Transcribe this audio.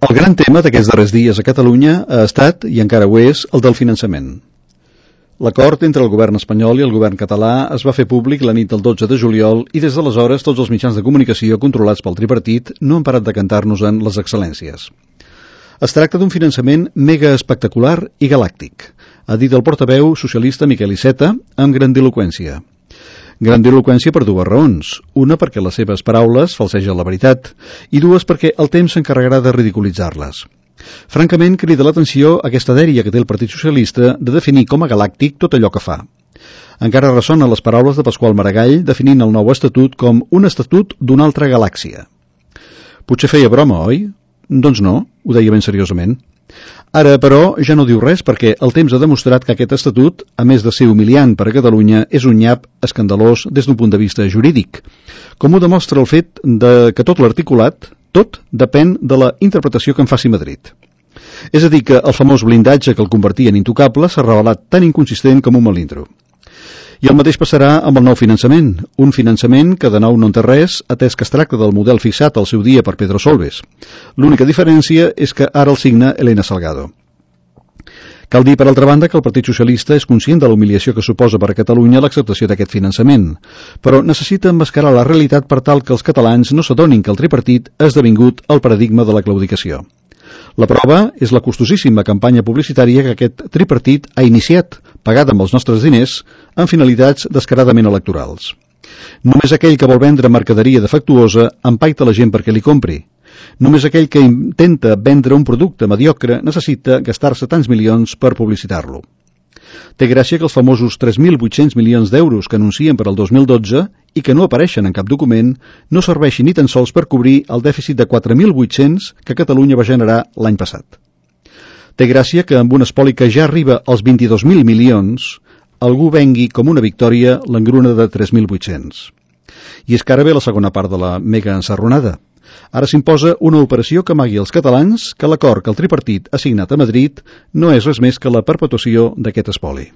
El gran tema d'aquests darrers dies a Catalunya ha estat, i encara ho és, el del finançament. L'acord entre el govern espanyol i el govern català es va fer públic la nit del 12 de juliol i des d'aleshores tots els mitjans de comunicació controlats pel tripartit no han parat de cantar-nos-en les excel·lències. Es tracta d'un finançament mega espectacular i galàctic, ha dit el portaveu socialista Miquel Iceta amb grandiloqüència. Grandiloqüència per dues raons. Una, perquè les seves paraules falsegen la veritat, i dues, perquè el temps s'encarregarà de ridiculitzar-les. Francament, crida l'atenció aquesta dèria que té el Partit Socialista de definir com a galàctic tot allò que fa. Encara ressonen les paraules de Pasqual Maragall definint el nou estatut com un estatut d'una altra galàxia. Potser feia broma, oi? Doncs no, ho deia ben seriosament. Ara, però, ja no diu res perquè el temps ha demostrat que aquest estatut, a més de ser humiliant per a Catalunya, és un nyap escandalós des d'un punt de vista jurídic, com ho demostra el fet que tot l'articulat, tot depèn de la interpretació que en faci Madrid. És a dir, que el famós blindatge que el convertia en intocable s'ha revelat tan inconsistent com un melindro. I el mateix passarà amb el nou finançament, un finançament que de nou no en té res, atès que es tracta del model fixat al seu dia per Pedro Solbes. L'única diferència és que ara el signa Elena Salgado. Cal dir, per altra banda, que el Partit Socialista és conscient de la humiliació que suposa per a Catalunya l'acceptació d'aquest finançament, però necessita emmascarar la realitat per tal que els catalans no s'adonin que el tripartit ha esdevingut el paradigma de la claudicació. La prova és la costosíssima campanya publicitària que aquest tripartit ha iniciat, pagada amb els nostres diners, amb finalitats descaradament electorals. Només aquell que vol vendre mercaderia defectuosa empaita la gent perquè li compri. Només aquell que intenta vendre un producte mediocre necessita gastar-se tants milions per publicitar-lo. Té gràcia que els famosos 3.800 milions d'euros que anuncien per al 2012 i que no apareixen en cap document no serveixin ni tan sols per cobrir el dèficit de 4.800 que Catalunya va generar l'any passat. Té gràcia que amb un espoli que ja arriba als 22.000 milions algú vengui com una victòria l'engruna de 3.800. I és que ara ve la segona part de la mega ensarronada. Ara s'imposa una operació que amagui als catalans que l'acord que el tripartit ha signat a Madrid no és res més que la perpetuació d'aquest espoli.